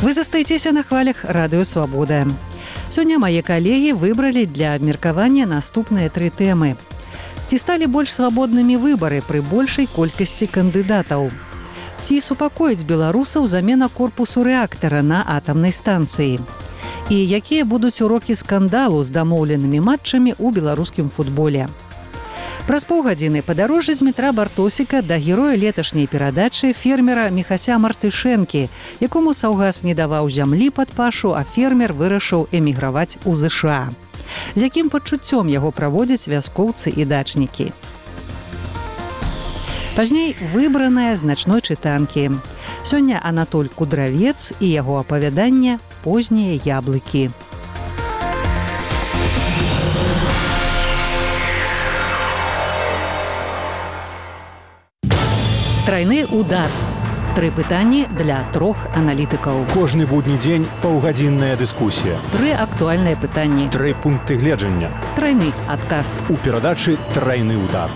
Вы застаецеся на хвалях радыё «Свабода». Сёння мае калегі выбралі для абмеркавання наступныя 3 тэмы. Ці сталі больш свабоднымі выбары пры большай колькасці кандыдатаў? Ці супакоіць беларусаў замена корпусу рэактара на атамнай станцыі? І якія будуць урокі скандалу з дамоўленымі матчамі ў беларускім футболе? Праз паўгадзіны падарожжа з метра Бартосіка да героя леташняй перадачы фермера Міхася Мартышэнкі, якому саўгас не даваў зямлі пад пашу, а фермер вырашыў эміграваць у ЗША. З якім пачуццём яго праводзяць вяскоўцы і дачнікі? Пазней выбраная з начной чытанкі. Сёння Анатоль Кудравец і яго апавяданне «Познія яблыкі». Трайны удар. 3 пытанні для 3 аналітыкаў. Кожны будні дзень паўгадзінная дыскусія. 3 актуальныя пытанні. 3 пункты гледжання. Трайны адказ. У перадачы «Трайны удар».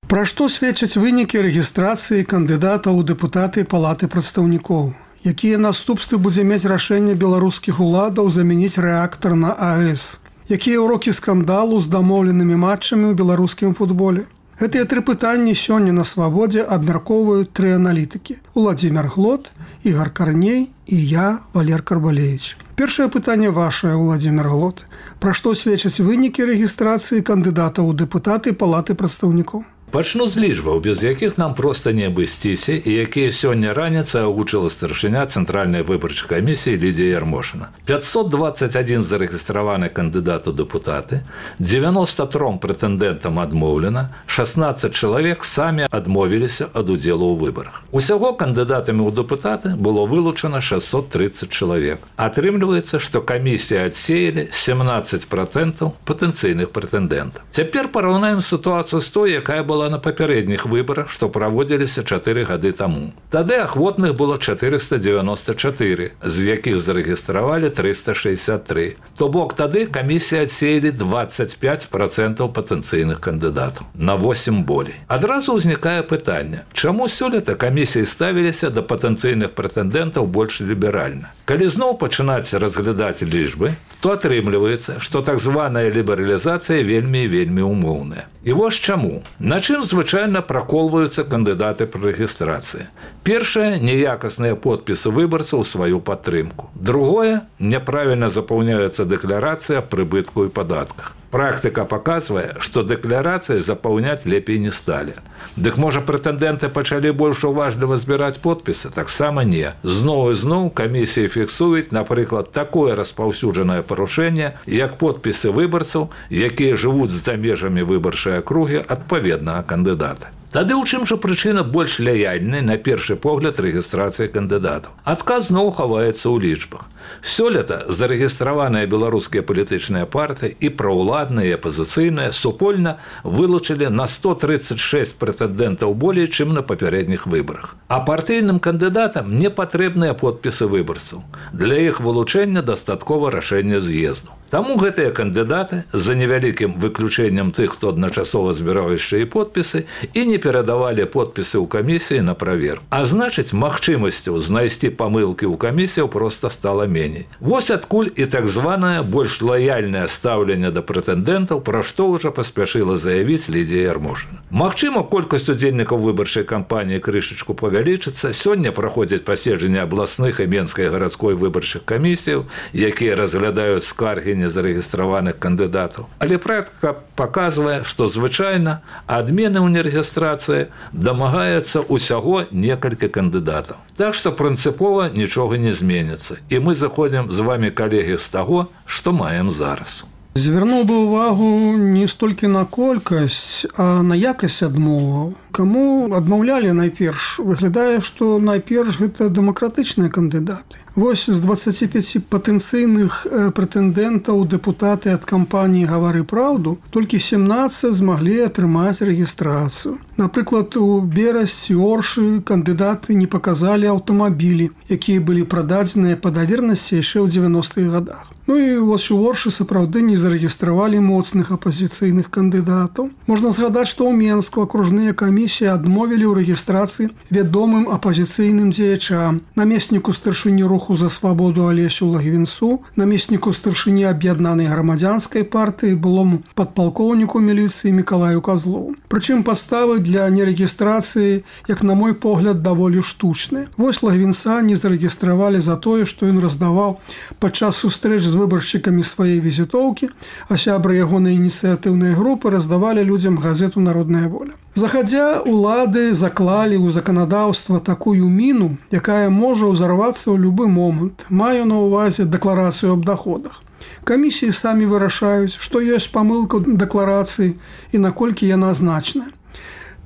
Пра што сведчаць вынікі рэгістрацыі кандыдата ў дэпутаты Палаты прадстаўнікоў? Якія наступствы будзе мець рашэнне беларускіх уладаў замяніць рэактар на АЭС? Якія ўрокі скандалу з дамоўленымі матчамі ў беларускім футболе? Гэтыя 3 пытанні сёння на «Свабодзе» абмяркоўваюць 3 аналітыкі. Уладзімир Глот, Ігор Карней і я, Валер Карбалевич. Першае пытанне вашае, Уладзімир Глот. Пра што сведчаць вынікі рэгістрацыі кандыдата ў дэпутаты Палаты прадстаўнікоў? Пачну з лічбаў, без якіх нам проста не абысціся і якія сёння раніцай агучыла старшыня Цэнтральнай выбарчай камісіі Лідія Ярмошына. 521 зарэгістраваны кандыдат у дэпутаты, 93 прэтэндэнтам адмоўлена, 16 чалавек самі адмовіліся ад удзелу ў выбарах. Усяго кандыдатамі ў дэпутаты было вылучана 630 чалавек. Атрымліваецца, што камісія адсеялі 17% патэнцыйных прэтэндэнтаў. Цяпер параўнаем сітуацыю з той, якая была на папярэдніх выбарах, што праводзіліся 4 гады таму. Тады ахвотных было 494, з якіх зарэгістравалі 363. То бок тады камісія адсеялі 25% патэнцыйных кандыдатаў, на 8 болей. Адразу ўзнікае пытанне, чаму сёлета камісіі ставіліся да патэнцыйных прэтэндэнтаў больш ліберальна? Калі зноў пачынаць разглядаць лічбы, то атрымліваецца, што так званая лібералізацыя вельмі і вельмі умоўная. І вось чаму. На чым звычайна праколваюцца кандыдаты пры рэгістрацыі? Першае – неякасныя подпісы выбарцаў у сваю падтрымку. Другое – няправільна запаўняецца дэкларацыя аб прыбытку і падатках. Практыка паказвае, што дэкларацыі запаўняць лепей не сталі. Дык можа прэтэндэнты пачалі больш уважліва збіраць подпісы? Таксама не. Зноў і зноў камісіі фіксуюць, напрыклад, такое распаўсюджанае парушэнне, як подпісы выбарцаў, якія жывуць за межамі выбарчай акругі адпаведнага кандыдата. Тады ў чым жа прычына больш лаяльнай на першы погляд рэгістрацыі кандыдатаў? Адказ зноў хаваецца ў лічбах. Сёлета зарэгістраваныя беларускія палітычныя партыі і праўладныя, і апазіцыйныя супольна вылучылі на 136 прэтэндэнтаў болей, чым на папярэдніх выбарах. А партыйным кандыдатам не патрэбныя подпісы выбарцаў. Для іх вылучэння дастаткова рашэння з'езду. Таму гэтыя кандыдаты, за невялікім выключэннем тых, хто адначасова збіраў яшчэ і подпісы, і не перадавалі подпісы ў камісіі на праверку. А значыць, магчымасцяў знайсці памылкі ў камісіяў проста стала меней. Вось адкуль і так званае больш лаяльнае стаўленне да прэтэндэнтаў, пра што ўжо паспяшыла заявіць Лідія Ярмошына. Магчыма, колькасць удзельнікаў выбарчай кампаніі крышачку павялічыцца. Сёння праходзяць паседжанні абласных і менскай гарадской выбарчых камісіяў, якія разглядаюць скаргі незарэгістраваных кандыдатаў. Але практыка паказвае, што звычайна адмены ў нерэгістрацыі дамагаецца ўсяго некалькі кандыдатаў. Так што прынцыпова нічога не зменіцца. І мы заходзім з вамі, калегі, з таго, што маем зараз. Звярнуў бы ўвагу не столькі на колькасць, а на якасць адмоваў. Каму адмаўлялі найперш? Выглядае, што найперш гэта дэмакратычныя кандыдаты. Вось з 25 патэнцыйных прэтэндэнтаў у дэпутаты ад кампаніі «Гавары праўду» толькі 17 змаглі атрымаць рэгістрацыю. Напрыклад, у Берасці, Оршы кандыдаты не паказалі аўтамабілі, якія былі прададзеныя па давернасці яшчэ ў 90-х гадах. Ну і вось у Оршы сапраўды не зарэгістравалі моцных апазіцыйных кандыдатаў. Можна згадаць, што ў Менску акружныя камісіі камісіі адмовілі ў рэгістрацыі вядомым апазіцыйным дзеячам, намесніку старшыні руху за свабоду Алесю Лагвінцу, намесніку старшыні аб'яднанай грамадзянскай партыі, былому падпалкоўніку міліцыі Мікалаю Казлову. Прычым падставы для нерэгістрацыі, як на мой погляд, даволі штучныя. Вось Лагвінца не зарэгістравалі за тое, што ён раздаваў падчас сустрэч з выбаршчыкамі свае візітоўкі, а сябры ягонай ініцыятыўнай групы раздавалі людзям газету «Народная воля». Захадзя, улады заклалі ў заканадаўства такую міну, якая можа ўзарвацца ў любы момант. Маю на ўвазе дэкларацыю аб даходах. Камісіі самі вырашаюць, што ёсць памылка ў дэкларацыі і наколькі яна значная.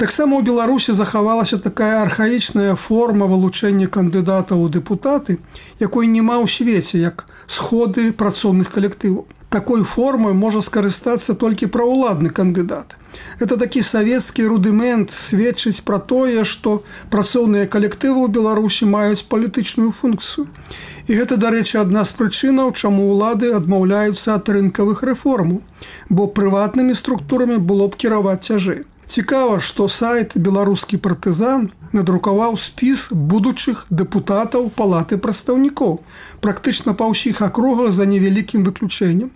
Таксама ў Беларусі захавалася такая архаічная форма вылучэння кандыдатаў у дэпутаты, якой няма ў свеце, як сходы працоўных калектываў. Такой формай можа скарыстацца толькі праўладны кандыдат. Это такі савецкі рудымент сведчыць пра тое, што працоўныя калектывы ў Беларусі маюць палітычную функцыю. І гэта, дарэчы, адна з прычынаў, чаму ўлады адмаўляюцца ад рынкавых рэформаў, бо прыватнымі структурамі было б кіраваць цяжэй. Цікава, што сайт «Беларускі партызан» надрукаваў спіс будучых дэпутатаў палаты прадстаўнікоў, практычна па ўсіх акругах за невялікім выключэннем.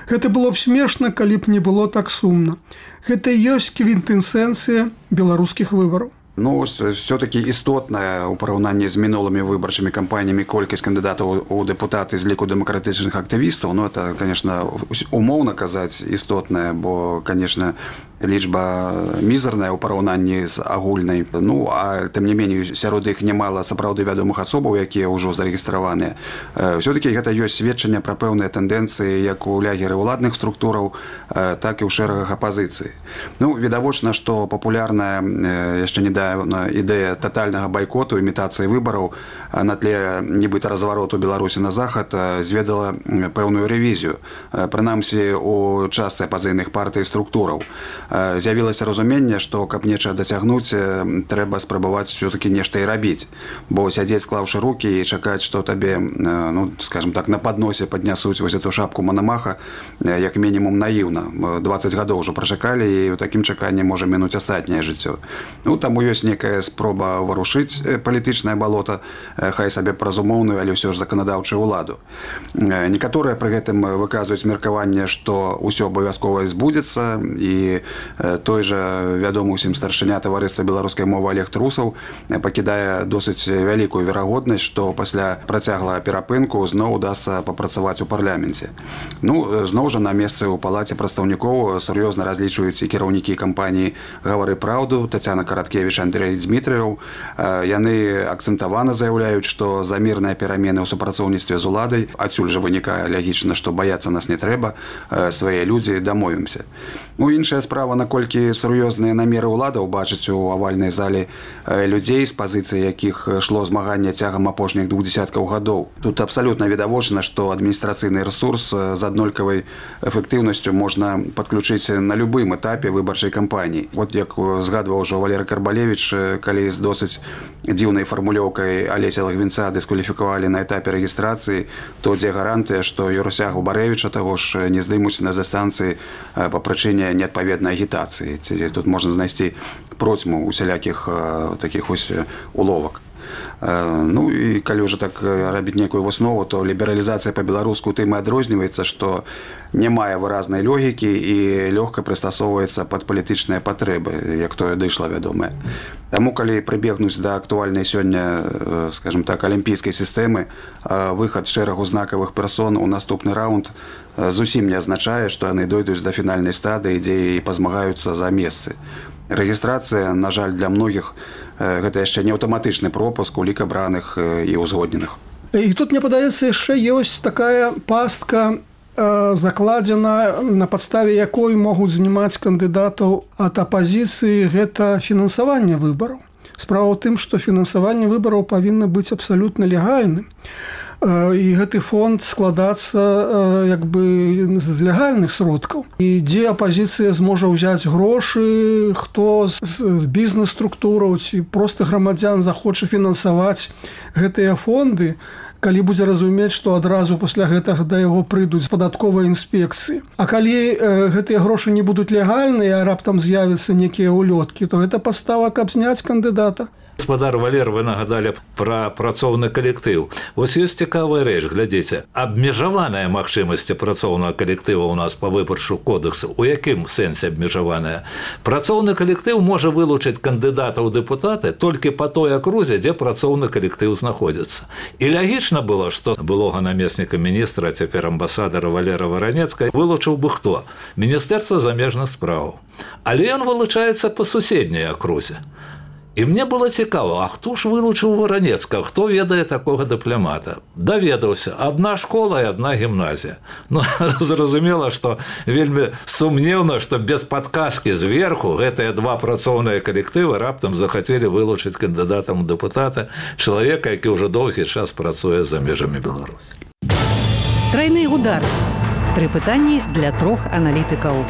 Гэта было б смешна, калі б не было так сумна. Гэта ёсць квінтэсенцыя беларускіх выбараў. Ну, все-таки істотная у параўнанні з мінулымі выбарчымі кампаніямі колькасць кандыдатаў у дэпутаты з ліку дэмакратычных актывістаў. Ну, это, конечно, умоўна казаць істотная, бо, конечно, лічба мізарная ў параўнанні з агульнай. Ну, а тым не меней, сярод іх немала сапраўды вядомых асобаў, якія ўжо зарэгістраваныя. Все-таки гэта ёсць сведчанне пра пэўныя тэндэнцыі як у лягеры ўладных структураў, так і ў шэрагах апазіцыі. Ну, відавочна, што папулярная яшчэ недавно ідэя татальнага байкоту, імітацыі выбараў на тле нібыта развароту Беларусі на захад зведала пэўную рэвізію. Прынамсі, у частцы апазійных партый і структураў. З'явілася разуменне, што каб нечага дасягнуць, трэба спрабаваць все-таки нешта і рабіць. Бо сядзець, склаўшы рукі і чакаць, што табе, ну, скажем так, на падносе паднясуць вось эту шапку Манамаха, як мінімум наіўна. 20 гадоў ўжо прачакалі, і ў такім чаканні можа мінуць астатняе жыццё. Ну, таму ёсць некая спроба варушыць палітычнае балота, хай сабе праз умоўную, але ўсё ж заканадаўчую ўладу. Некаторыя пры гэтым выказваюць меркаванне, што ўсё абавязкова збудзецца, і той жа вядомы ўсім старшыня таварыства беларускай мовы Олег Трусаў пакідае досыць вялікую верагоднасць, што пасля працяглага перапынку зноў удасца папрацаваць у парламенце. Ну, зноў жа на месцы ў палаце прадстаўнікоў сур'ёзна разлічваюць і кіраўнікі кампаніі «Гавары праўду» Тацяна Караткевіч, Андрэй Дзмітрыеў. Яны акцэнтавана заяўляюць, што за мірныя перамены ў супрацоўніцтве з уладай, адсюль жа вынікае лягічна, што баяцца нас не трэба, свае людзі дамовімся. Ну, іншая справа, наколькі сур'ёзныя намеры ўладаў бачыць у авальнай зале людзей, з пазіцыі якіх шло змаганне цягам апошніх 2 дзесяткаў гадоў. Тут абсалютна відавочна, што адміністрацыйны рэсурс з аднолькавай эфектыўнасцю можна падключыць на любым этапе выбарчай кампаніі. Вот як згадваў ужо Валерый Карбалевіч, калі з досыць дзіўнай фармулёўкай Алеся Лагвінца дыскваліфікавалі на этапе рэгістрацыі, то дзе гарантыя, што Юрусягу Барэвіча таго ж не здымуць на застанцыі па прычыне неадпаведнай агітацыі. Тут можна знайсці процьму усялякіх такіх ось уловак. Ну і калі ўжо так рабіць некую выснову, то лібералізацыя па-беларуску тым і адрозніваецца, што не мае выразнай логікі і лёгка прыстасоўваецца пад палітычныя патрэбы, як тое дышло вядомае. Таму, калі прыбегнуць да актуальнай сёння, скажем так, алімпійскай сістэмы, выхад шэрагу знакавых персон у наступны раунд зусім не азначае, што яны дойдуць да фінальнай стадыі, дзе і пазмагаюцца за месцы. Рэгістрацыя, на жаль, для многіх гэта яшчэ не аўтаматычны пропуск у лік абраных і ўзгодненых. І тут, мне падаецца, яшчэ ёсць такая пастка, закладзена, на падставе якой могуць знімаць кандыдатаў ад апазіцыі, гэта фінансаванне выбараў. Справа ў тым, што фінансаванне выбараў павінна быць абсалютна легальным. І гэты фонд складацца як бы з легальных сродкаў. І дзе апазіцыя зможа ўзяць грошы, хто з бізнес-структураў ці проста грамадзян захоча фінансаваць гэтыя фонды, калі будзе разумець, што адразу пасля гэтага да яго прыйдуць падатковыя інспекцыі. А калі гэтыя грошы не будуць легальныя, а раптам з'явяцца некія ўлёткі, то гэта падстава, каб зняць кандыдата. Гаспадар Валер, вы нагадалі пра працоўны калектыў. Вось ёсць цікавая рэч, глядзіце, абмежаваная магчымасці працоўнага калектыва ў нас па выбарчу кодэксу. У якім сэнсе абмежаваная? Працоўны калектыў можа вылучыць кандыдата ў дэпутаты толькі па той акрузе, дзе працоўны калектыў знаходзіцца. І лягічна было, што былога намесніка міністра, а цяпер амбасадара Валера Варанецкага вылучыў бы хто? Міністэрства замежных спраў. Але ён вылучаецца па суседняй акрузе. І мне было цікава, а хто ж вылучыў Варанецкага, хто ведае такога дыпламата? Даведаўся, адна школа і адна гімназія. Ну, зразумела, што вельмі сумнеўна, што без падказкі зверху гэтыя два працоўныя калектывы раптам захацелі вылучыць кандыдатам у дэпутаты чалавека, які ўжо доўгі час працуе за межамі Беларусі. Трайны удар. 3 пытанні для 3 аналітыкаў.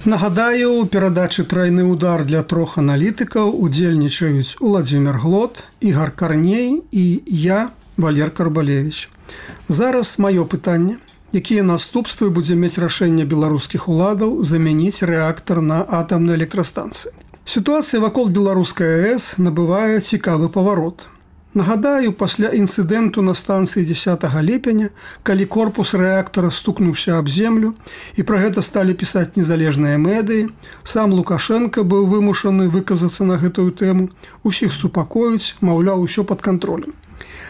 Нагадаю, у перадачы «Трайны удар» для 3 аналітыкаў удзельнічаюць Уладзімір Глот, Ігар Карней і я, Валер Карбалевіч. Зараз маё пытанне. Якія наступствы будзе мець рашэнне беларускіх уладаў замяніць рэактар на атамнай электрастанцыі? Сітуацыя вакол беларускай АЭС набывае цікавы паварот. Нагадаю, пасля інцыдэнту на станцыі 10 ліпеня, калі корпус рэактара стукнуўся аб землю, і пра гэта сталі пісаць незалежныя медыі, сам Лукашенко быў вымушаны выказацца на гэтую тэму, усіх супакоіць, маўляў, усё пад кантролем.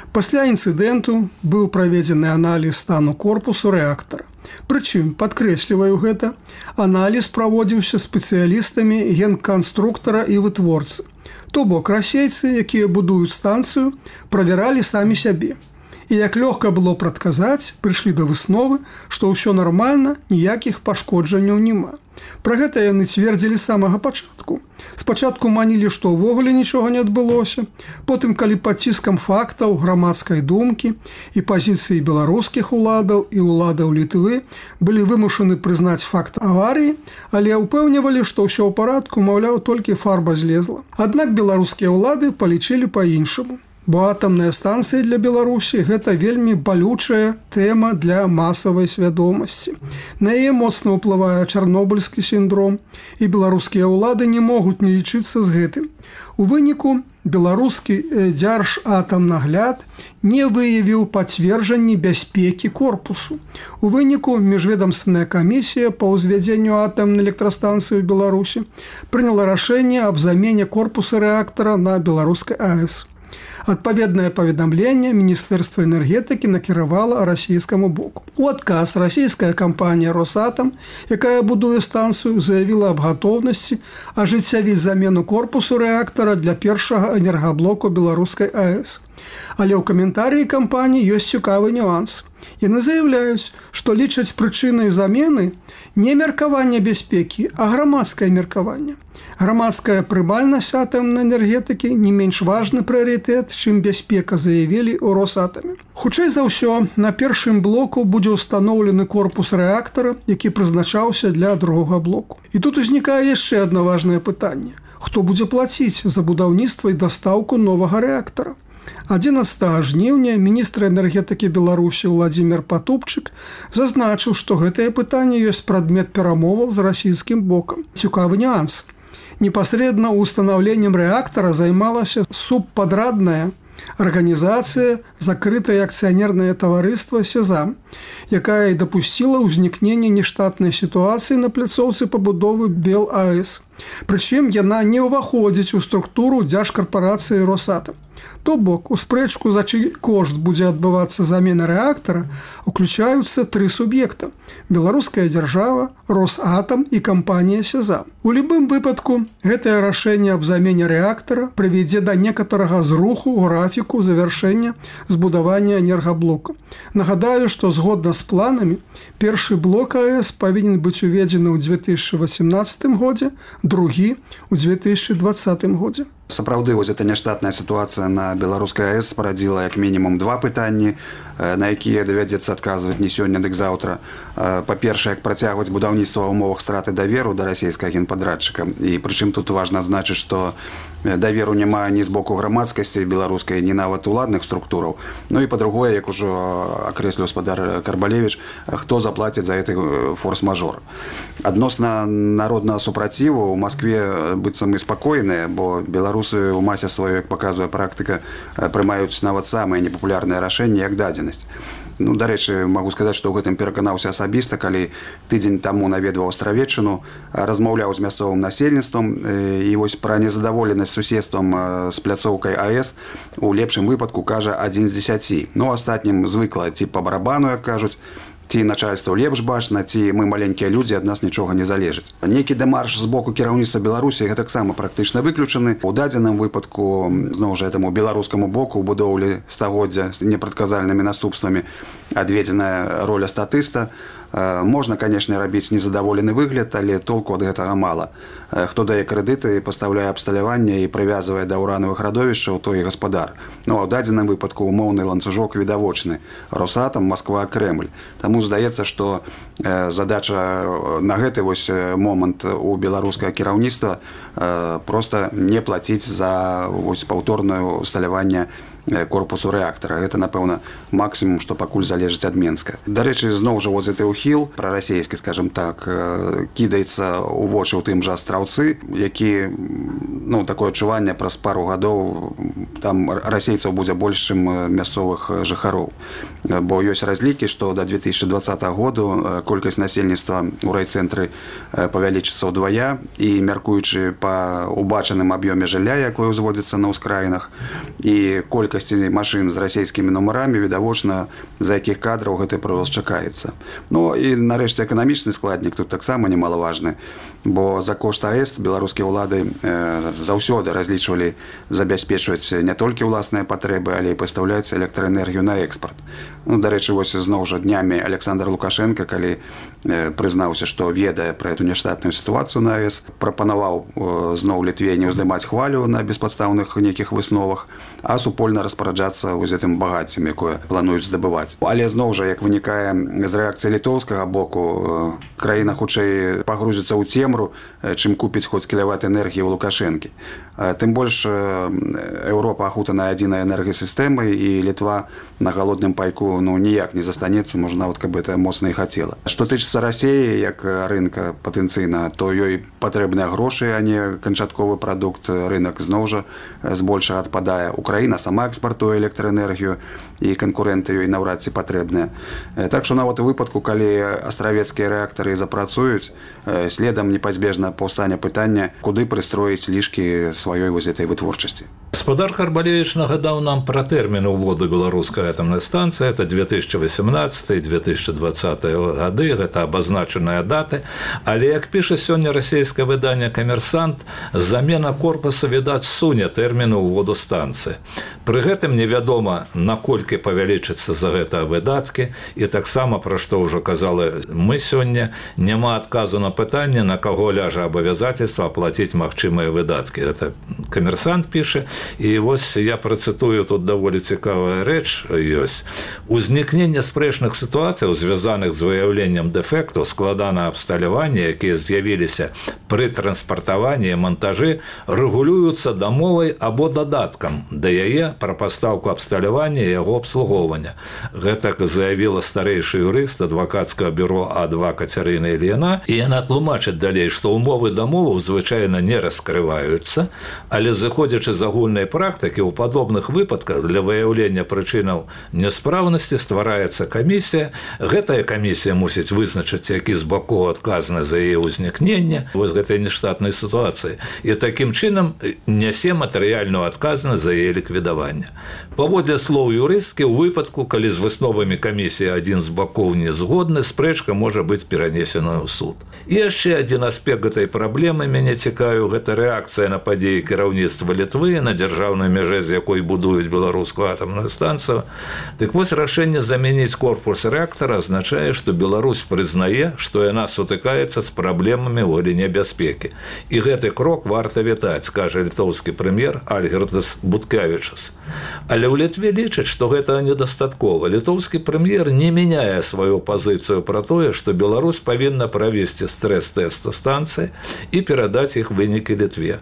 Пасля інцыдэнту быў праведзены аналіз стану корпусу рэактара. Прычым, падкрэсліваю гэта, аналіз праводзіўся спецыялістамі генканструктара і вытворцы. То бок расейцы, якія будуюць станцыю, правяралі самі сябе. І як лёгка было прадказаць, прыйшлі да высновы, што ўсё нармальна, ніякіх пашкоджанняў няма. Пра гэта яны цвердзілі з самага пачатку. Спачатку манілі, што ўвогуле нічога не адбылося. Потым, калі пад ціскам фактаў, грамадскай думкі і пазіцыі беларускіх уладаў і уладаў Літвы былі вымушаны прызнаць факт аварыі, але ўпэўнівалі, што ўсё ў парадку, маўляў, толькі фарба злезла. Аднак беларускія ўлады палічылі па-іншаму. Бо атамная станцыя для Беларусі – гэта вельмі балючая тэма для масавай свядомасці. На яе моцна ўплывае чарнобыльскі сіндром, і беларускія ўлады не могуць не лічыцца з гэтым. У выніку беларускі дзяржатамнагляд не выявіў пацверджанні бяспекі корпусу. У выніку міжведамственная камісія па ўзвядзенню атамнай электрастанцыі ў Беларусі прыняла рашэнне аб замене корпуса рэактара на беларускай АЭС. Адпаведнае паведамленне Міністэрства энергетыкі накіравала расійскаму боку. У адказ расійская кампанія «Росатам», якая будуе станцыю, заявіла аб гатоўнасці ажыццявіць замену корпусу рэактара для першага энергаблоку беларускай АЭС. Але ў каментарыі кампаніі ёсць цікавы нюанс. Яны заяўляюць, што лічаць прычынай замены не меркаванне бяспекі, а грамадскае меркаванне. Грамадская прымальнасць атамнай энергетыкі не менш важны прыярытэт, чым бяспека, заявілі ў Росатаме. Хутчэй за ўсё, на першым блоку будзе ўстаноўлены корпус рэактара, які прызначаўся для другога блоку. І тут узнікае яшчэ адно важнае пытанне. Хто будзе плаціць за будаўніцтва і дастаўку новага рэактара? 11 жніўня міністр энергетыкі Беларусі Уладзімір Патупчык зазначыў, што гэтае пытанне ёсць прадмет перамоваў з расійскім бокам. Цікавы нюанс. Непасрэдна ўстанаўленнем рэактара займалася субпадрадная арганізацыя закрытае акцыянернае таварыства «Сезам», якая і дапусціла ўзнікненне нештатнай сітуацыі на пляцоўцы пабудовы БелАЭС. Прычым яна не ўваходзіць у структуру дзяржкарпарацыі «Росатам». То бок, у спрэчку, за чый кошт будзе адбывацца замена рэактара, уключаюцца 3 суб'екта – беларуская дзяржава, Росатам і кампанія «Сезам». У любым выпадку, гэтае рашэнне аб замене рэактара прывядзе да некаторага зруху графіку завяршэння збудавання энергаблока. Нагадаю, што згодна з планамі, першы блок АЭС павінен быць уведзены ў 2018 годзе, другі – у 2020 годзе. Сапраўды, вось эта няштатная сітуацыя на беларускай АЭС парадзіла як мінімум 2 пытанні. на якія давядзецца адказваць не сёння, дык заўтра. Па-першае, як працягваць будаўніцтва ў умовах страты даверу да расійскага генпадрадчыка. І прычым тут важна адзначыць, што даверу няма ні з боку грамадскасці беларускай, ні нават уладных структураў. Ну і па-другое, як ужо акрэсліў спадар Карбалевіч, хто заплаціць за гэты форс-мажор. Адносна народнага супраціву ў Маскве быццам і спакойныя, бо беларусы ў масе сваёй, як паказвае практыка, прымаюць нават самыя непапулярныя рашэнні як дадзенасць. Ну, дарэчы, магу сказаць, што ў гэтым пераканаўся асабіста, калі тыдзень таму наведваў Астравеччыну, размаўляў з мясцовым насельніцтвам, і вось пра незадаволенасць суседствам з пляцоўкай АЭС у лепшым выпадку кажа 1 з 10. Ну, астатнім звыкла ці па барабану, як кажуць, ці начальство лепш бачна, ці мы маленькія людзі, ад нас нічога не залежыць. Нейкі дэмарш з боку кіраўніцтва Беларусі гэтаксама практычна выключаны. У дадзеным выпадку, зноў жа, этаму беларускаму боку ў будоўлі стагоддзя з непрадказальнымі наступствамі адведзеная роля статыста. Можна, канешне, рабіць незадаволены выгляд, але толку ад гэтага мала. Хто дае крэдыты, пастаўляе абсталяванне і прывязвае да ўранавых радовішчаў, той і гаспадар. Ну, а ў дадзеным выпадку умоўны ланцужок відавочны. Росатам, Масква, Крэмль. Таму здаецца, што задача на гэты вось момант у беларускага кіраўніцтва проста не плаціць за вось паўторнае усталяванне корпусу рэактара. Гэта, напэўна, максімум, што пакуль залежыць ад Менска. Дарэчы, зноў жа, вот гэты ўхіл прарасійскі, скажем так, кідаецца ў вочы ў тым жа Астраўцы, які, ну, такое адчуванне праз пару гадоў там расейцаў будзе больш, чым мясцовых жыхароў. Бо ёсць разлікі, што да 2020 году колькасць насельніцтва ў райцэнтры павялічыцца ўдвая, і мяркуючы па убачаным аб'ёме жылля, якое ўзводзіцца на ўскраінах, і колькасці машын з расійскімі нумарамі, відавочна, за якіх кадраў гэты прырост чакаецца. Ну і нарэшце эканамічны складнік тут таксама немалаважны, бо за кошт АЭС беларускія ўлады заўсёды разлічвалі забяспечваць не толькі ўласныя патрэбы, але і пастаўляць электраэнергію на экспарт. Ну, дарэчы, вось зноў жа днямі Александр Лукашенко, калі прызнаўся, што ведае пра эту няштатную сітуацыю на АЭС, прапанаваў зноў Літве не ўздымаць хвалю на беспадстаўных нейкіх высновах, а супольна распараджацца з гэтым багаццем, якое плануюць здабываць. Але зноў жа, як вынікае з рэакцыі літоўскага боку, краіна хутчэй пагрузіцца ў цемру, чым купіць хоць кілават энергіі ў Лукашэнкі. Тым больш Еўропа ахутана адзінай энергасістэмай, і Літва на галодным пайку ніяк не застанецца, можа, нават каб гэта моцна і хацела. Што тычыцца Расіі як рынка патэнцыйна, то ёй патрэбныя грошы, а не канчатковы прадукт. Рынак зноў жа збольшага адпадае. Украіна сама экспартуе электраэнергію, і канкурэнты ёй наўрад ці патрэбныя. Так што нават у выпадку, калі астравецкія рэактары запрацуюць, следам непазбежна паўстане пытання, куды прыстроіць лішкі сваёй вось этой вытворчасці. Спадар Карбалевіч нагадаў нам пра тэрмін уводу беларускай атамнай станцыі. Это 2018-2020 гады, гэта абазначаныя даты. Але, як піша сёння расійскае выданне «Камерсант», замена корпуса, відаць, суне тэрміну ўводу станцыі. Пры гэтым невядома, наколькі павялічыцца за гэта выдаткі, і таксама, пра што ўжо казалі мы сёння, няма адказу на пытанне, на каго ляжа абавязательства аплаціць магчымыя выдаткі. Гэта «Камерсант» піша. І вось я працытую, тут даволі цікавая рэч ёсць. Узнікненне спрэчных сітуацыяў, звязаных з выяўленнем дэфекту, складанага абсталявання, якія з'явіліся пры транспартаванні і монтажы, рэгулююцца дамовай або дадаткам да яе пра пастаўку абсталявання і яго абслугоўвання. Гэтак заявіла старэйшы юрыст адвакацкага бюро А2 Кацярына Ільіна, і яна тлумачыць далей, што ўмовы дамоваў звычайна не раскрываюцца, але зыходзячы з агульнай практыкі, у падобных выпадках для выяўлення прычынаў няспраўнасці ствараецца камісія. Гэтая камісія мусіць вызначыць, які з бакоў адказаны за яе ўзнікненне вось гэтай нештатнай сітуацыі, і такім чынам нясе матэрыяльную адказнасць за яе ліквідаванне. Паводле слоў юрысткі, у выпадку, калі з высновамі камісіі адзін з бакоў не згодны, спрэчка можа быць перанесеная ў суд. І яшчэ адзін аспект гэтай праблемы мяне цікавіў, гэта рэакцыя на падзеі кіраўніцтва Літвы на дзяржаўнай дзяржаўнай мяжы, з якой будуюць беларускую атамную станцыю. Дык вось рашэнне замяніць корпус рэактара азначае, што Беларусь прызнае, што яна сутыкаецца з праблемамі ў галіне бяспекі. І гэты крок варта вітаць, скажа літоўскі прэм'ер Альгірдас Буткевічус. Але ў Літве лічаць, што гэтага недастаткова. Літоўскі прэм'ер не мяняе сваю пазіцыю пра тое, што Беларусь павінна правесці стрэс-тэст станцыі і перадаць іх вынікі Літве.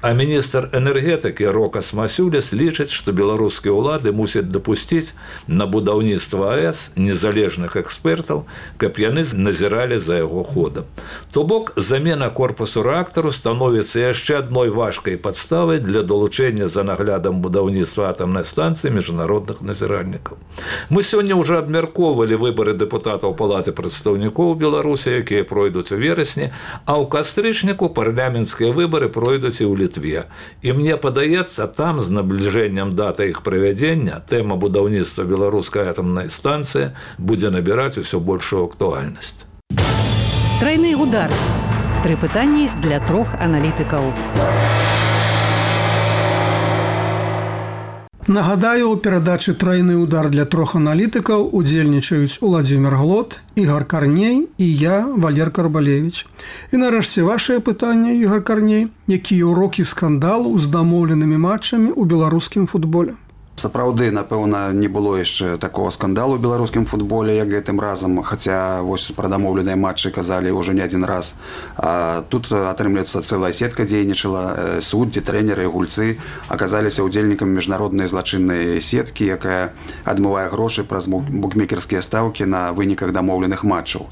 А міністр энергетыкі Рокас Масюліс лічыць, што беларускія ўлады мусяць дапусціць на будаўніцтва АЭС незалежных экспертаў, каб яны назіралі за яго ходам. То бок, замена корпусу рэактару становіцца яшчэ адной важкай падставай для далучэння за наглядам будаўніцтва атамнай станцыі міжнародных назіральнікаў. Мы сёння ўжо абмяркоўвалі выбары дэпутатаў Палаты прадстаўнікоў Беларусі, якія пройдуць у верасні, а ў кастрычніку парламенцкія выбары пройдуць і ў Літве. І мне падаецца, там з набліжэннем даты іх правядзення тэма будаўніцтва беларускай атамнай станцыі будзе набіраць усё большую актуальнасць. Трайны удар. 3 пытанні для 3 аналітыкаў. Нагадаю, у перадачы «Трайны удар» для 3 аналітыкаў удзельнічаюць Уладзімір Глот, Ігор Карней і я, Валер Карбалевіч. І нарэшце вашае пытанне, Ігор Карней, якія ўрокі скандалу з дамоўленымі матчамі ў беларускім футболе? Сапраўды, напэўна, не было яшчэ такого скандалу ў беларускім футболе, як гэтым разам, хаця вось пра дамоўленыя матчы казалі ўжо не адзін раз. А тут, атрымліваецца, цэлая сетка дзейнічала, суддзі, трэнеры, гульцы аказаліся ўдзельнікамі міжнароднай злачыннай сеткі, якая адмывае грошы праз букмекерскія стаўкі на выніках дамоўленых матчаў.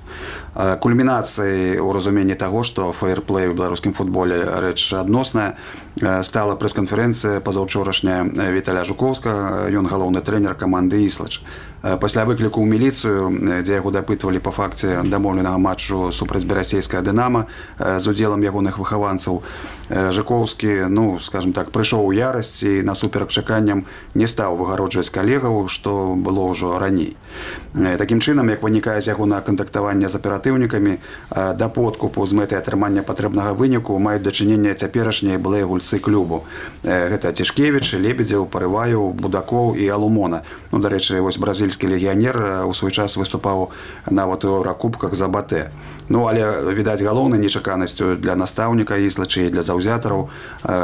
Кульмінацыяй у разуменні таго, што фэйрплэй у беларускім футболе рэч адносная, стала прэс-канферэнцыя пазаўчорашняя Віталя Жукоўскага, ён галоўны трэнер каманды «Іслач». Пасля выкліку ў міліцыю, дзе яго дапытвалі па факце дамоўленага матчу супраць берасейскага «Дынама» з удзелам ягоных выхаванцаў, Жукоўскі, скажем так, прыйшоў у ярасць і насуперак чаканням не стаў выгароджваць калегаў, што было ўжо раней. Такім чынам, як вынікае з ягонага кантактавання з аператыўнікамі, да подкупу з мэтай атрымання патрэбнага выніку маюць дачыненне цяперашнія былыя гульцы клубу. Гэта Цішкевіч, Лебедзеў, Парываеў, Будакоў і Алумона. Дарэчы, вось бразільскі легіянер у свой час выступаў нават у Еўракубках за БТ. Але, відаць, галоўнай нечаканасцю для настаўніка Іслача і для заўзятараў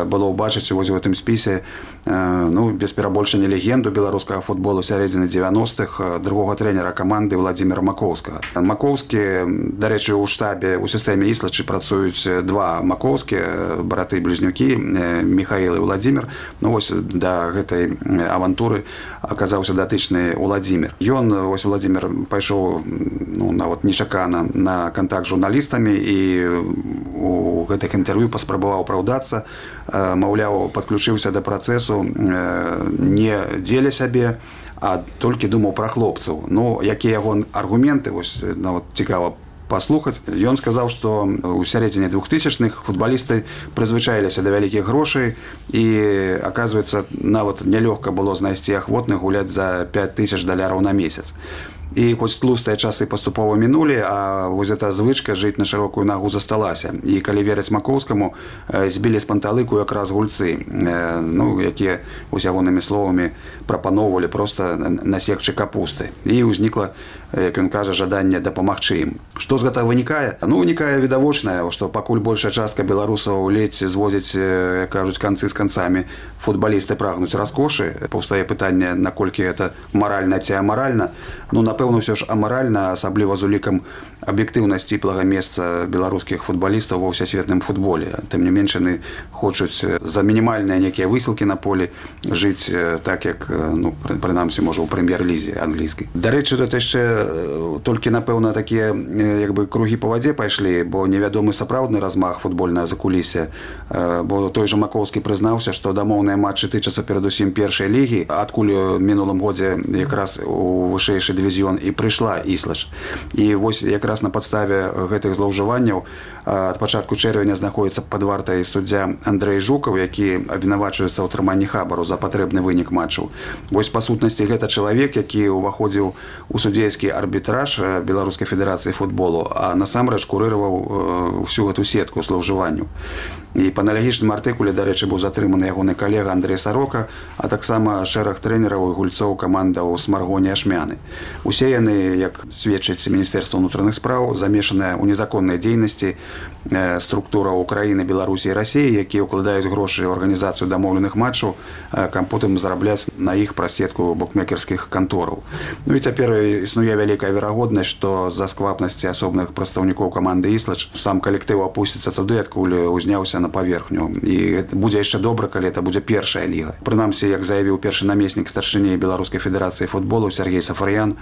было ўбачыць вось у гэтым спісе, без перабольшання легенду беларускага футболу сярэдзіны 90-х, другога трэнера каманды Владзіміра Макоўскага. Макоўскі, дарэчы, у штабе, у сістэме Іслачы працуюць 2 макоўскія браты-блізнюкі, Міхаіл і Владзімір. Вось да гэтай авантуры аказаўся датычны Владзімір. Ён, вось Владзімір, пайшоў нават нечакана на контакт з журналістамі і у гэтых інтэрв'ю паспрабаваў апраўдацца, маўляў, падключыўся да працэсу не дзеля сябе, а толькі думаў пра хлопцаў. Якія яго аргументы, вось нават цікава паслухаць. Ён сказаў, што ў сярэдзіне 2000-х футбалісты прызвычаіліся да вялікіх грошай і, аказваецца, нават нялёгка было знайсці ахвотных гуляць за $5000 на месяц. І хоць тлустыя часы паступова мінулі, а вось эта звычка жыць на шырокую нагу засталася. І калі верыць Макоўскаму, збілі з панталыку якраз гульцы, якія вось ягонымі словамі прапаноўвалі проста насекчы капусты. І ўзнікла, як ён кажа, жаданне дапамагчы ім. Што з гэтага вынікае? Вынікае відавочнае, што пакуль большая частка беларусаў ледзь зводзіць, як кажуць, канцы з канцамі, футбалісты прагнуць раскошы. Паўстае пытанне, наколькі гэта маральна ці амаральна. Напэўна, ўсё ж амаральна, асабліва з улікам аб'ектыўна сціплага месца беларускіх футбалістаў ва ўсесветным футболе. Тым не менш, яны хочуць за мінімальныя нейкія высілкі на полі жыць так, як, прынамсі, можа, у прэм'ер-лізе англійскай. Дарэчы, тут яшчэ толькі, напэўна, такія кругі па вадзе пайшлі, бо невядомы сапраўдны размах футбольнае закулісся. Бо той жа Макоўскі прызнаўся, што дамоўныя матчы тычацца перадусім першай лігі, адкуль у мінулым годзе якраз у вышэйшы дывізіён і прыйшла Іслач. І вось якраз на падставе гэтых злоўжыванняў ад пачатку чэрвеня знаходіцца пад вартай суддзя Андрэй Жукаў, які абвінавачваецца ў атрыманні хабару за патрэбны вынік матчаў. Вось, па сутнасці, гэта чалавек, які ўваходзіў у судзейскі арбітраж Беларускай федэрацыі футболу, а насамрэч курыраваў всю гэту сетку злоўжыванняў. І па аналагічным артыкуле, дарэчы, быў затрыманы ягоны калега Андрэй Сарока, а таксама шэраг трэнераў і гульцоў камандаў Смаргоні Ашмяны. Усе яны, як сведчыць Міністэрства ўнутраных спраў, замешаныя ў незаконнай дзейнасці структураў Украіны, Беларусі і Расіі, якія ўкладаюць грошы ў арганізацыю дамоўленых матчаў, каб потым зарабляць на іх праз сетку букмекерскіх кантораў. Ну і цяпер існуе вялікая верагоднасць, што з-за сквапнасці асобных прадстаўнікоў каманды «Іслач» сам калектыў апусціцца туды, адкуль узняўся на паверхню. І будзе яшчэ добра, калі это будзе першая ліга. Прынамсі, як заявіў першы намеснік старшыні Беларускай федэрацыі футболу Сергей Сафарьян,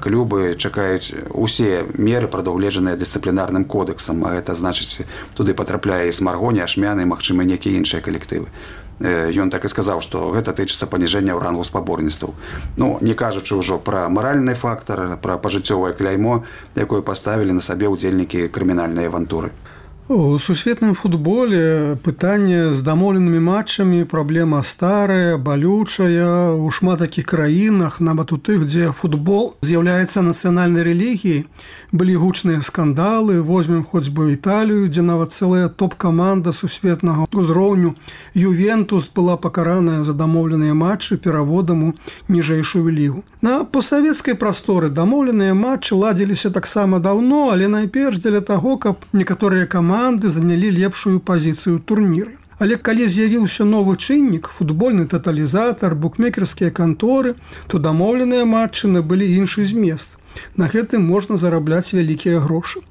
клубы чакаюць усе меры, прадугледжаныя дысцыплінарным кодэксам, а гэта значыць, туды патрапляе і Смаргоні, Ашмяны, магчыма, некія іншыя калектывы. Ён так і сказаў, што гэта тычыцца паніжэння ў рангу спаборніцтваў. Ну, не кажучы ўжо пра маральны фактар, пра пажыццёвае кляймо, якое паставілі на сабе ўдзельнікі крымінальнай авантуры. У сусветным футболе пытанне з дамоўленымі матчамі праблема старая, балючая. У шмат такіх краінах, нават у тых, дзе футбол з'яўляецца нацыянальнай рэлігіяй, былі гучныя скандалы. Возьмем хоць бы Італію, дзе нават цэлая топ-каманда сусветнага ўзроўню «Ювентус» была пакараная за дамоўленыя матчы пераводам у ніжэйшую лігу. На постсавецкай прасторы дамоўленыя матчы ладзіліся таксама даўно, але найперш дзеля таго, каб некаторыя каманды занялі лепшую пазіцыю ў турніры. Але калі з'явіўся новы чыннік, футбольны таталізатар, букмекерскія канторы, то дамоўленыя матчы набылі іншы змест. На гэтым можна зарабляць вялікія грошы.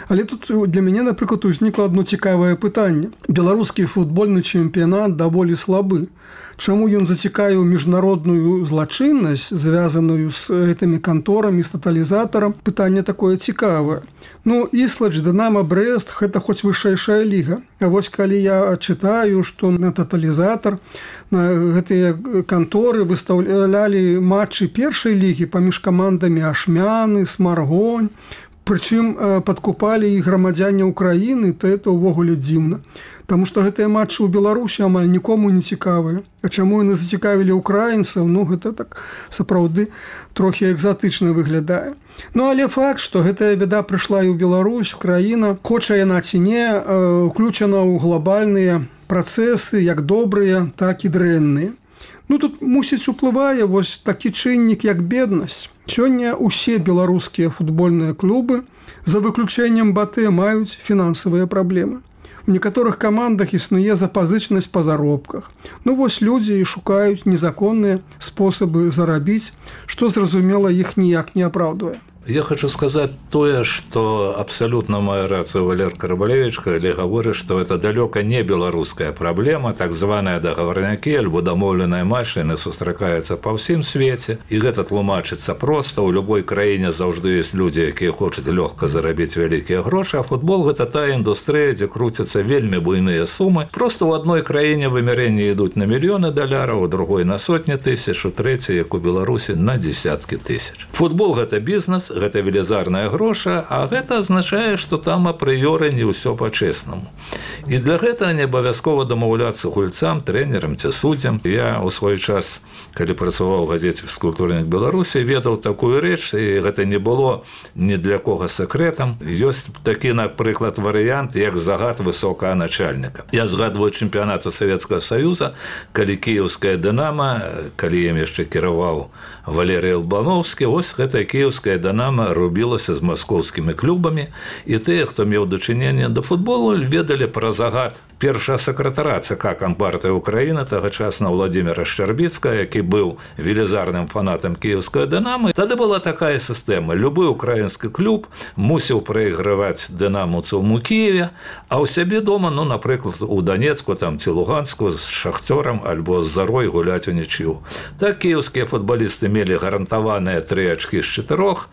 Але тут для мяне, напрыклад, узнікла одно цікавае пытанне. Беларускі футбольны чэмпіянат даволі слабы. Чаму ён зацікавіў міжнародную злачыннасць, звязаную з гэтымі канторамі, з таталізатарам? Пытанне такое цікавае. Ну, «Іслач», «Дынама», «Брэст» – гэта хоць вышэйшая ліга. А вось калі я чытаю, што на таталізатар, на гэтыя канторы выстаўлялі матчы першай лігі паміж камандамі Ашмяны, Смаргонь, прычым падкупалі і грамадзяне Украіны, то это ўвогуле дзіўна. Таму што гэтыя матчы ў Беларусі амаль нікому не цікавыя. А чаму яны зацікавілі украінцаў? Ну, гэта так сапраўды трохі экзатычна выглядае. Ну, але факт, што гэтая бяда прыйшла і ў Беларусь, краіна, хоча яна ці не, уключана ў глобальныя працэсы, як добрыя, так і дрэнныя. Ну, тут, мусіць, уплывае вось такі чыннік, як беднасць. Сёння ўсе беларускія футбольныя клубы, за выключэннем БАТЭ, маюць фінансавыя праблемы. У некаторых камандах існуе запазычнасць па заробках. Ну, вось людзі і шукаюць незаконныя спосабы зарабіць, што, зразумела, іх ніяк не апраўдвае. Я хочу сказать тое, что абсолютно мае рацию Валер Карабалевич, калі гаворыць, што это далёка не беларуская праблема, так званыя дагаворнякі альбо дамоўленыя матчы сустракаюцца па ўсім свеце, і гэта тлумачыцца проста. У любой краіне заўжды ёсць людзі, якія хочуць лёгка зарабіць вялікія грошы, а футбол гэта тая індустрыя, дзе круцяцца вельмі буйныя сумы. Просто ў адной краіне вымярэнні ідуць на мільёны даляраў, у другой на сотні тысяч, у трэцяй, як у Беларусі, на дзесяткі тысяч. Футбол гэта бізнес, гэта велізарная гроша, а гэта азначае, што там апрыёры не ўсё па-чэснаму. І для гэтага не абавязкова дамаўляцца гульцам, трэнерам ці суддзям. Я ў свой час, калі працаваў у газеце «Фізкультурнік Беларусі», ведаў такую рэч, і гэта не было ні для кога сакрэтам. Ёсць такі, напрыклад, варыянт, як загад высокага начальніка. Я згадваю чэмпіянат Савецкага Саюза, калі кіеўская «Дынама», калі ім яшчэ кіраваў Валерый Албановскі, ось гэтая кіеўская «Дынама» рубілася з маскоўскімі клубамі, і тыя, хто меў дачыненне да футболу, ведалі пра загад першага сакратара ЦК Кампартыі Украіны, тагачасна Владзіміра Шчарбіцкага, які быў велізарным фанатам кіеўскай «Дынамы». Тады была такая сістэма. Любы украінскі клуб мусіў прайграваць дынамаўцам у Кіеве, а ў сябе дома, ну, напрыклад, у Данецку там, ці Луганску з Шахцёрам альбо з Зарой гуляць у нічыю. Так кіеўскія футбалісты мелі гарантаваныя 3 ачкі з 4,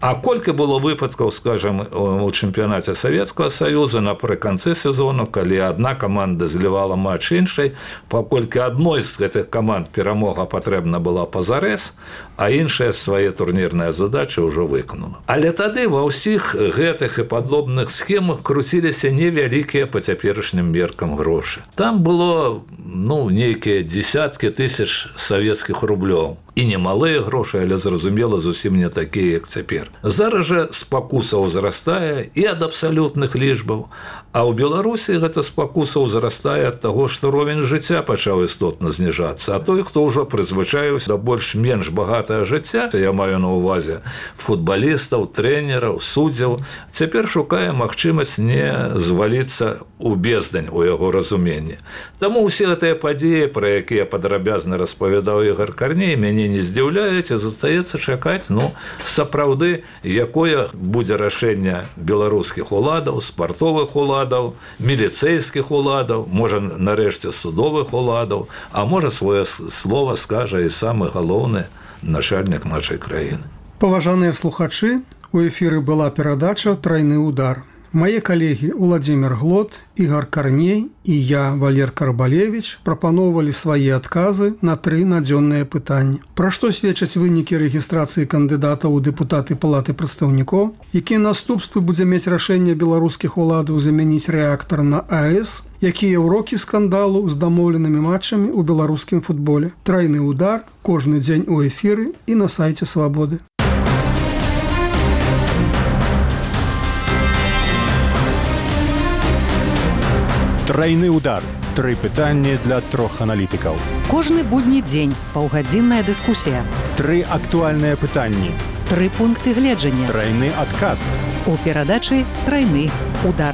а колькі было выпадкаў, скажам, у чэмпіянаце Савецкага Саюза напрыканцы сезону, калі адна каманда злівала матч іншай, паколькі адной з гэтых каманд перамога патрэбна была пазарэз, а іншая свае турнірныя задачы ўжо выканала. Але тады ва ўсіх гэтых і падобных схемах круціліся невялікія па цяперашнім меркам грошы. Там было, ну, нейкія дзесяткі тысяч савецкіх рублёў. І немалыя грошы, але, зразумела, зусім не такія, як цяпер. Зараз жа спакуса ўзрастае і ад абсалютных лічбаў, а ў Беларусі гэта спакуса ўзрастае ад таго, што ровень жыцця пачаў істотна зніжацца. А той, хто ўжо прызвычаіўся да больш-менш багатае жыцця, я маю на ўвазе футбалістаў, трэнераў, суддзяў, цяпер шукае магчымасць не зваліцца ў бездань у яго разуменні. Таму ўсе гэтыя падзеі, пра якія падрабязна распавядаў Ігор Карней, мяне не здзіўляюць, і застаецца чакаць, сапраўды, якое будзе рашэнне беларускіх уладаў, спартовых уладаў, міліцэйскіх уладаў, можа, нарэшце, судовых уладаў, а можа, свое слова скажа і самы галоўны начальнік нашай краіны. Паважаныя слухачы, у эфіры была перадача «Трайны удар». Мае калегі Уладзімір Глот, Ігор Карней і я, Валер Карбалевіч, прапаноўвалі свае адказы на 3 надзённыя пытанні. Пра што сведчаць вынікі рэгістрацыі кандыдатаў у дэпутаты Палаты прадстаўнікоў, якія наступствы будзе мець рашэнне беларускіх уладаў замяніць рэактар на АЭС, якія ўрокі скандалу з дамоўленымі матчамі ў беларускім футболе. Трайны удар кожны дзень у эфіры і на сайце Свабоды. Трайны удар. 3 пытанні для 3 аналітыкаў. Кожны будні дзень паўгадзінная дыскусія. 3 актуальныя пытанні. 3 пункты гледжання. Трайны адказ. У перадачы «Трайны удар».